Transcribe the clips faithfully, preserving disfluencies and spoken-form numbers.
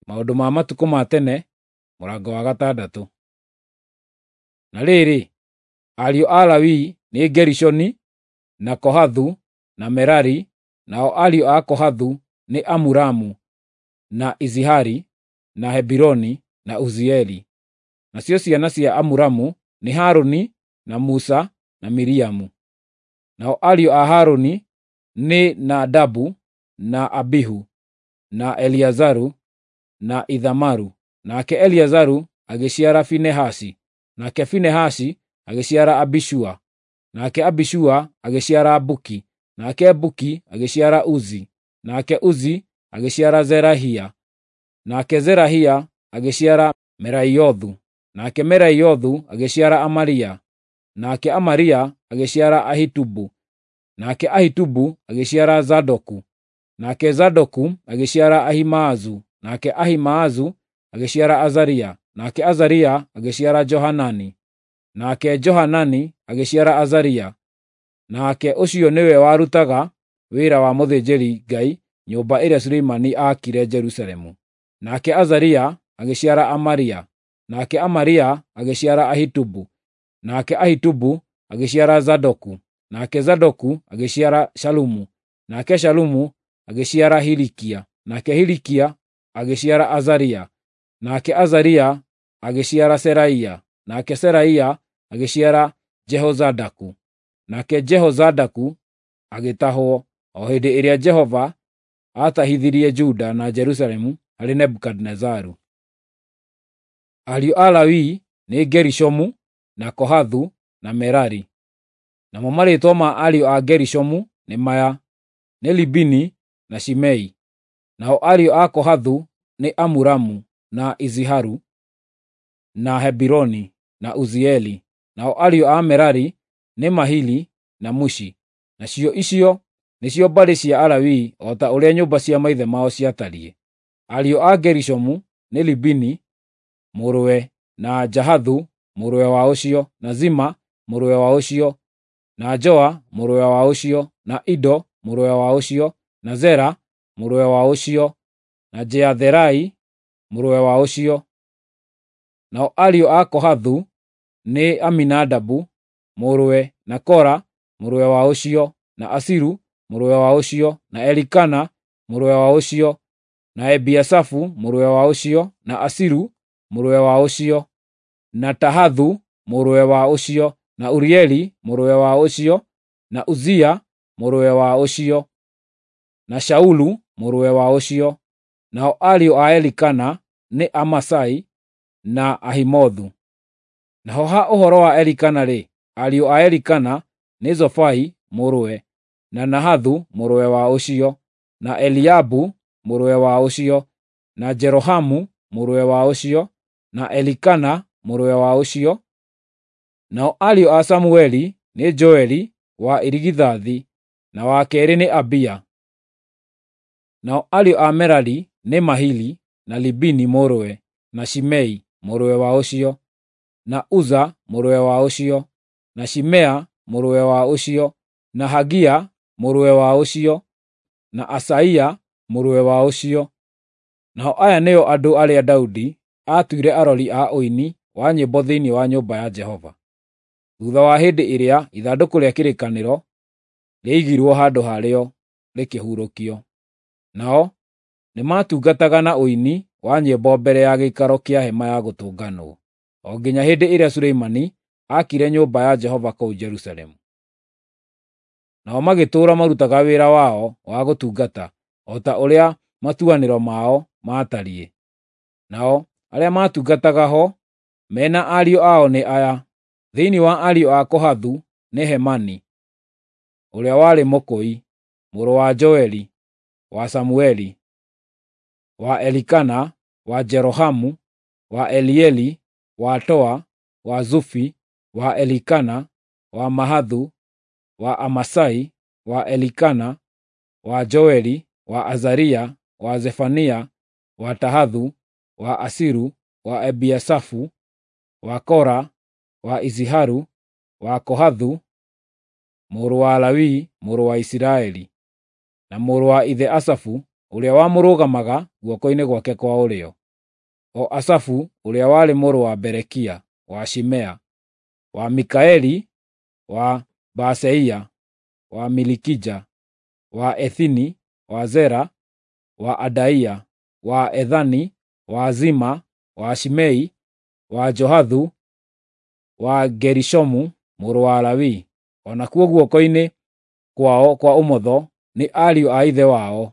Maũndũ ma Matukũ ma Tene, mũrango wa gatandatũ. Na rĩrĩ, ariũ a Lawi nĩ Gerishoni, na Kohathu, na Merari; nao ariũ a Kohathu nĩ Amuramu, na Izihari, na Hebironi, na Uzieli. Nacio ciana cia Amuramu nĩ Harũni, na Musa, na Miriamu. Nao ariũ a Harũni nĩ Nadabu, na Abihu, na Eliazaru, na Ithamaru. Nake Eliazaru agĩciara Finehasi, nake Finehasi agĩciara Abishua, nake Abishua agĩciara Buki, nake Buki agĩciara Uzi, nake Uzi agĩciara Zerahia, nake Zerahia agĩciara Meraiothu, nake Meraiothu agĩciara Amaria, nake Amaria agĩciara Ahitubu, nake Ahitubu agĩciara Zadoku, nake Zadoku agĩciara Ahimaazu, nake Ahimaazu agĩciara Azaria, nake Azaria agĩciara Johanani, nake Johanani agĩciara Azaria. Nake ũcio nĩwe warutaga wĩra wa mũthĩnjĩri-Ngai nyũmba ĩrĩa Suleimani aakire Jerusalemu. Nake Azaria agĩciara Amaria, nake Amaria agĩciara Ahitubu, nake Ahitubu agĩciara Zadoku, nake Zadoku agĩciara Shalumu, nake Shalumu agĩciara Hilikia, nake Hilikia agĩciara Azaria, nake Azaria agĩciara Seraia, nake Seraia agĩciara Jehozadaku, nake Jehozadaku agĩtahwo o hĩndĩ ĩrĩa Jehova aatahithirie Juda na Jerusalemu harĩ Nebukadinezaru. Ariũ a Lawi nĩ Gerishomu, na Kohathu, na Merari. Namo marĩĩtwa ma ariũ a Gerishomu nĩ maya: nĩ Libini na Shimei. Nao ariũ a Kohathu nĩ Amuramu, na Iziharu, na Hebironi, na Uzieli. Nao ariũ a Merari nĩ Mahili na Mushi. Nacio icio nĩcio mbarĩ cia Alawii o ta ũrĩa nyũmba cia maithe mao ciatariĩ. Ariũ a Gerishomu nĩ Libini mũrũwe, na Jahathu mũrũwe wa ũcio, na Zima mũrũwe wa ũcio, na Joa mũrũwe wa ũcio, na Ido mũrũwe wa ũcio, na Zera mũrũwe wa ũcio, na Jeatherai mũrũwe wa ũcio. Nao ariũ a Kohathu nĩ Aminadabu mũrũwe, na Kora mũrũwe wa ũcio, na Asiru mũrũwe wa ũcio, na Elikana mũrũwe wa ũcio, na Ebiasafu mũrũwe wa ũcio, na Asiru mũrũwe wa ũcio, na Tahathu mũrũwe wa ũcio, na Urieli mũrũwe wa ũcio, na Uzia mũrũwe wa ũcio, na Shaulu mũrũwe wa ũcio. Nao ariũ a Elikana nĩ Amasai na Ahimothu. Naho ha ũhoro wa Elikana-rĩ, ariũ a Elikana nĩ Zofai mũrũwe, na Nahathu mũrũwe wa ũcio, na Eliabu mũrũwe wa ũcio, na Jerohamu mũrũwe wa ũcio, na Elikana mũrũwe wa ũcio. Nao ariũ a Samueli nĩ Joeli wa irigithathi, na wa keerĩ nĩ Abia. Nao ariũ a Merari nĩ Mahili na Libini mũrũwe, na Shimei mũrũwe wa ũcio, na Uza mũrũwe wa ũcio, na Shimea mũrũwe wa ũcio, na Hagia mũrũwe wa ũcio, na Asaia mũrũwe wa ũcio. Nao aya nĩo andũ arĩa Daudi aatuire arori a ũini wa nyĩmbo thĩinĩ wa nyũmba ya Jehova, thuutha wa hĩndĩ ĩrĩa ithandũkũ rĩa kĩrĩkanĩro rĩaigirwo handũ harĩo rĩkĩhurũkio. Nao nĩmatungataga na ũini wa nyĩmbo mbere ya gĩikaro kĩa hema ya gũtũnganwo, o nginya hĩndĩ ĩrĩa Suleimani aakire nyũmba ya Jehova kũu Jerusalemu. Nao magĩtũũra marutaga wĩra wao wa gũtungata o ta ũrĩa matuanĩro mao maatariĩ. Nao arĩa maatungataga ho me na ariũ ao nĩ aya: thĩinĩ wa ariũ a Kohathu nĩ Hemani, ũrĩa warĩ mũkũi, mũrũ wa Joeli, wa Samueli, wa Elikana, wa Jerohamu, wa Elieli, wa Toa, wa Zufi, wa Elikana, wa Mahathu, wa Amasai, wa Elikana, wa Joeli, wa Azaria, wa Zefania, wa Tahathu, wa Asiru, wa Ebiasafu, wa Kora, wa Iziharu, wa Kohathu, mũrũ wa Lawi, mũrũ wa Isiraeli, na mũrũ wa ithe Asafu ũrĩa wamũrũgamaga guoko-inĩ gwake kwa ũrĩo, o Asafu ũrĩa warĩ mũrũ wa Berekia, wa Shimea, wa Mikaeli, wa Baaseia, wa Milikija, wa Ethini, wa Zera, wa Adaia, wa Ethani, wa Zima, wa Shimei, wa Johathu, wa Gerishomu mũrũ wa Lawi. O nakuo guoko-inĩ kwao kwa ũmotho nĩ ariũ a ithe wao,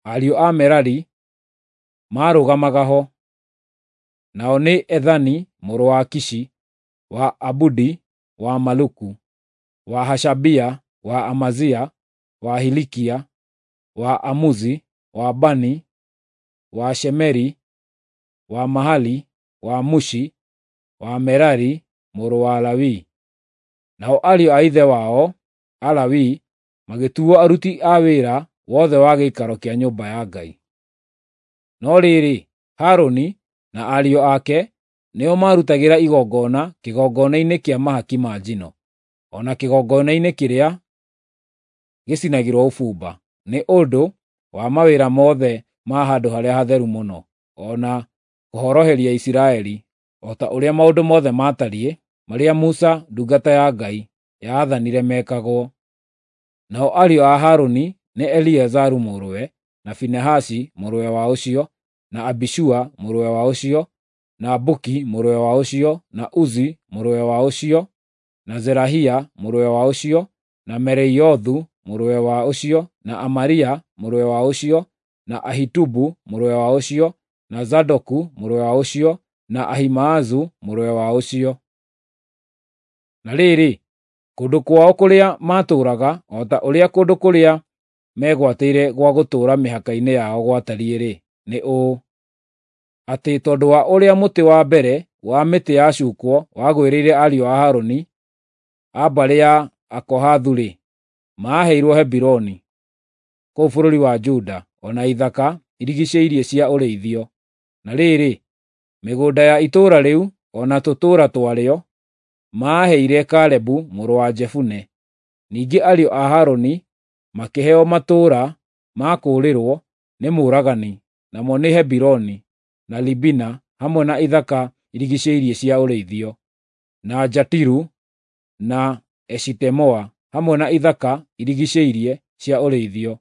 ariũ a Merari, maarũgamaga ho. Nao nĩ Ethani mũrũ wa Kishi, wa Abudi, wa Maluku, wa Hashabia, wa Amazia, wa Hilikia, wa Amuzi, wa Bani, wa Shemeri, wa Mahali, wa Mushi, wa Merari mũrũ wa Lawi. Nao ariũ a ithe wao Alawi magĩtuo aruti a wĩra wothe wa gĩikaro kĩa nyũmba ya Ngai. No rĩrĩ, Harũni na ariũ ake nĩo maarutagĩra igongona kĩgongona-inĩ kĩa mahaki ma njino, o na kĩgongona-inĩ kĩrĩa gĩcinagĩrwo ũbumba, nĩ ũndũ wa mawĩra mothe ma Handũ-harĩa-Hatheru-Mũno, o na kũhoroheria Isiraeli, o ta ũrĩa maũndũ mothe maatariĩ marĩa Musa ndungata ya Ngai yaathanire mekagwo. Nao ariũ a Harũni nĩ Eliazaru mũrũwe, na Finehasi mũrũwe wa ũcio, na Abishua mũrũwe wa ũcio, na Buki mũrũwe wa ũcio, na Uzi mũrũwe wa ũcio, na Zerahia mũrũwe wa ũcio, na Meraiothu mũrũwe wa ũcio, na Amaria mũrũwe wa ũcio, na Ahitubu mũrũwe wa ũcio, na Zadoku mũrũwe wa ũcio, na Ahimaazu mũrũwe wa ũcio. Na rĩrĩ, kũndũ kwao kũrĩa maatũũraga, o ta ũrĩa kũndũ kũrĩa megwatĩire gwa gũtũũra mĩhaka-inĩ yao gwatariĩ-rĩ, nĩ ũũ: atĩ tondũ wa ũrĩa mũtĩ wa mbere wa mĩtĩ yacuukwo wagwĩrĩire ariũ a Harũni a mbarĩ ya Akohathu-rĩ, maaheirwo Hebironi, kũu bũrũri wa Juda, o na ithaka irigiicĩirie cia ũrĩithio. Na rĩrĩ, mĩgũnda ya itũũra rĩu o na tũtũũra twarĩo maaheire Kalebu mũrũ wa Jefune. Ningĩ ariũ a Harũni makĩheo matũũra ma kũũrĩrwo nĩ mũũragani, namo nĩ Hebironi na Libina hamwe na ithaka irigiicĩirie cia ũrĩithio, na Jatiru na Eshitemoa hamwe na ithaka irigiicĩirie cia ũrĩithio,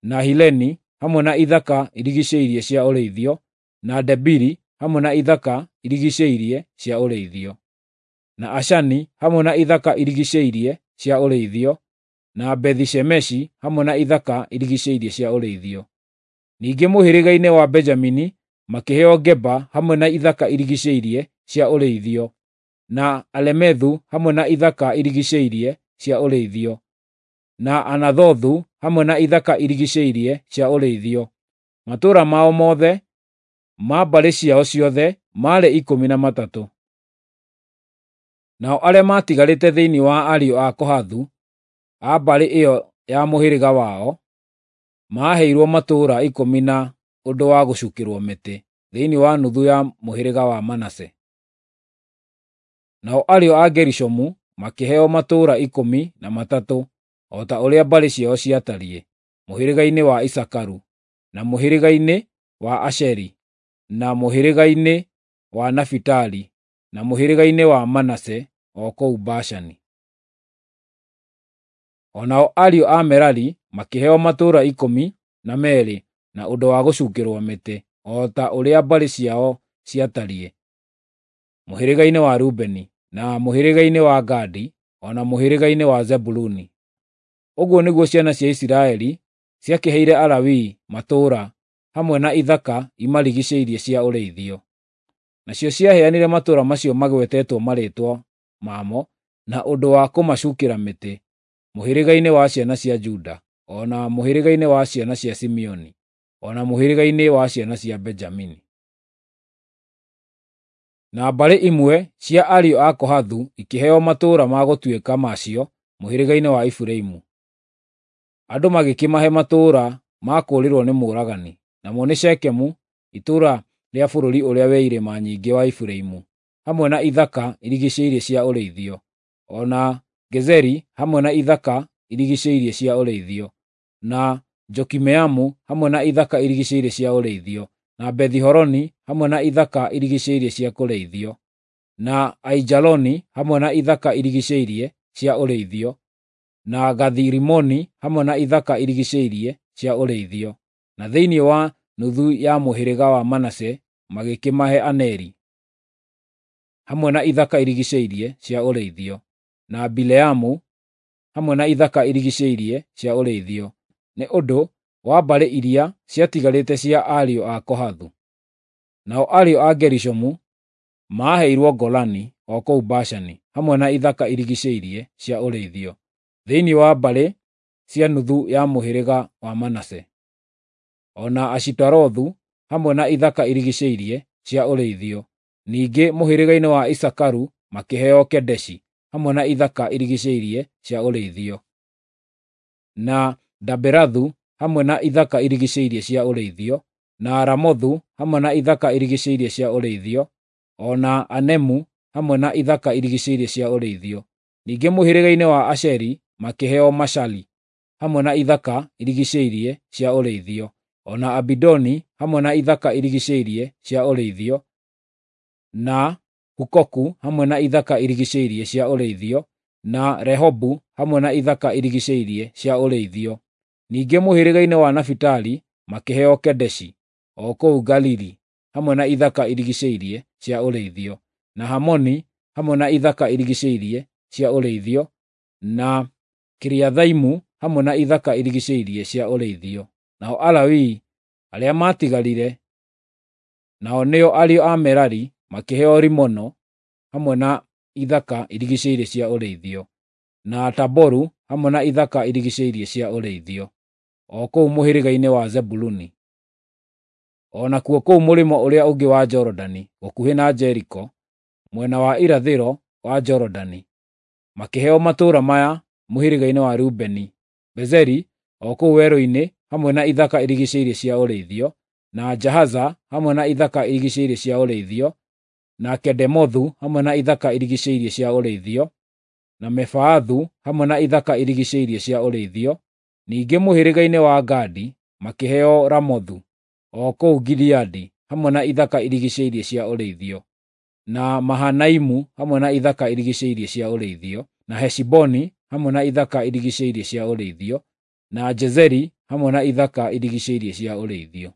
na Hileni hamwe na ithaka irigiicĩirie cia ũrĩithio, na Debiri hamwe na ithaka irigiicĩirie cia ũrĩithio, na Ashani hamwe na ithaka irigiicĩirie cia ũrĩithio, na Bethi-Shemeshi hamwe na ithaka irigiicĩirie cia ũrĩithio. Ningĩ mũhĩrĩga-inĩ wa Benjamini makĩheo Geba hamwe na ithaka irigiicĩirie cia ũrĩithio, na Alemethu hamwe na ithaka irigiicĩirie cia ũrĩithio, na Anathothu hamwe na ithaka irigiicĩirie cia ũrĩithio. Matũũra mao mothe ma mbarĩ ciao ciothe maarĩ ikũmi na matatũ. Nao arĩa maatigarĩte thĩinĩ wa ariũ a Kohathu a mbarĩ ĩyo ya mũhĩrĩga wao maaheirwo matũũra ikũmi na ũndũ wa gũcuukĩrwo mĩtĩ thĩinĩ wa nuthu ya mũhĩrĩga wa Manase. Nao ariũ a Gerishomu makĩheo matũũra ikũmi na matatũ o ta ũrĩa mbarĩ ciao ciatariĩ, mũhĩrĩga-inĩ wa Isakaru, na mũhĩrĩga-inĩ wa Asheri, na mũhĩrĩga-inĩ wa Nafitali, na mũhĩrĩga-inĩ wa Manase o kũu Bashani. O nao ariũ a Merari makĩheo matũũra ikũmi na meerĩ na ũndũ wa gũcuukĩrwo mĩtĩ, o ta ũrĩa mbarĩ ciao ciatariĩ, mũhĩrĩga-inĩ wa Rubeni, na mũhĩrĩga-inĩ wa Gadi, o na mũhĩrĩga-inĩ wa Zebuluni. Ũguo nĩguo ciana cia Isiraeli ciakĩheire Alawii matũũra hamwe na ithaka imarigiicĩirie cia ũrĩithio. Nacio ciaheanire matũũra macio magwetetwo marĩĩtwa mamo na ũndũ wa kũmacuukĩra mĩtĩ, mũhĩrĩga-inĩ wa ciana cia Juda, o na mũhĩrĩga-inĩ wa ciana cia Simeoni, o na mũhĩrĩga-inĩ wa ciana cia Benjamini. Na mbarĩ imwe cia ariũ a Kohathu ikĩheo matũũra ma gũtuĩka macio mũhĩrĩga-inĩ wa Efiraimu. Andũ magĩkĩmahe matũũra ma kũũrĩrwo nĩ mũũragani, namo nĩ Shekemu, itũũra rĩa bũrũri ũrĩa wĩ irĩma nyingĩ wa Efiraimu, hamwe na ithaka irigiicĩirie cia ũrĩithio, o na Gezeri hamwe na ithaka irigiicĩirie cia ũrĩithio, na Jokimeamu hamwe na ithaka irigiicĩirie cia ũrĩithio, na Bethi-Horoni hamwe na ithaka irigiicĩirie cia kũrĩithio, na Aijaloni hamwe na ithaka irigiicĩirie cia ũrĩithio, na Gathi-Rimoni hamwe na ithaka irigiicĩirie cia ũrĩithio. Na thĩinĩ wa nuthu ya mũhĩrĩga wa Manase magĩkĩmahe Aneri hamwe na ithaka irigiicĩirie cia ũrĩithio, na Bileamu hamwe na ithaka irigiicĩirie cia ũrĩithio, nĩ ũndũ wa mbarĩ iria ciatigarĩte cia ariũ a Kohathu. Nao ariũ a Gerishomu maaheirwo Golani o kũu Bashani hamwe na ithaka irigiicĩirie cia ũrĩithio, thĩinĩ wa mbarĩ cia nuthu ya mũhĩrĩga wa Manase, o na Ashitarothu hamwe na ithaka irigiicĩirie cia ũrĩithio. Ningĩ mũhĩrĩga-inĩ wa Isakaru makĩheo Kedeshi hamwe na ithaka irigiicĩirie cia ũrĩithio, na Daberathu hamwe na ithaka irigiicĩirie cia ũrĩithio, na Ramothu hamwe na ithaka irigiicĩirie cia ũrĩithio, o na Anemu hamwe na ithaka irigiicĩirie cia ũrĩithio. Ningĩ mũhĩrĩga-inĩ wa Asheri makĩheo Mashali hamwe na ithaka irigiicĩirie cia ũrĩithio, o na Abidoni hamwe na ithaka irigiicĩirie cia ũrĩithio, na Hukoku hamwe na ithaka irigiicĩirie cia ũrĩithio, na Rehobu hamwe na ithaka irigiicĩirie cia ũrĩithio. Ningĩ mũhĩrĩga-inĩ wa Nafitali makĩheo Kedeshi o kũu Galili hamwe na ithaka irigiicĩirie cia ũrĩithio, na Hamoni hamwe na ithaka irigiicĩirie cia ũrĩithio, na Kiriathaimu hamwe na ithaka irigiicĩirie cia ũrĩithio. Nao Alawii arĩa maatigarire, nao nĩo ariũ a Merari, makĩheo Rimono hamwe na ithaka irigiicĩirie cia ũrĩithio, na Taboru hamwe na ithaka irigiicĩirie cia ũrĩithio, o kũu mũhĩrĩga-inĩ wa Zebuluni. O nakuo kũu mũrĩmo ũrĩa ũngĩ wa Jorodani, gũkuhĩ na Jeriko, mwena wa irathĩro wa Jorodani, makĩheo matũũra maya mũhĩrĩga-inĩ wa Rubeni: Bezeri o kũu werũ-inĩ hamwe na ithaka irigiicĩirie cia ũrĩithio, na Jahaza hamwe na ithaka irigiicĩirie cia ũrĩithio, na Kedemothu hamwe na ithaka irigiicĩirie cia ũrĩithio, na Mefaathu hamwe na ithaka irigiicĩirie cia ũrĩithio. Ningĩ mũhĩrĩga-inĩ wa Gadi makĩheo Ramothu o kũu Gileadi hamwe na ithaka irigiicĩirie cia ũrĩithio, na Mahanaimu hamwe na ithaka irigiicĩirie cia ũrĩithio, na Heshiboni hamwe na ithaka irigiicĩirie cia ũrĩithio, na Jezeri hamwe na ithaka irigiicĩirie cia ũrĩithio.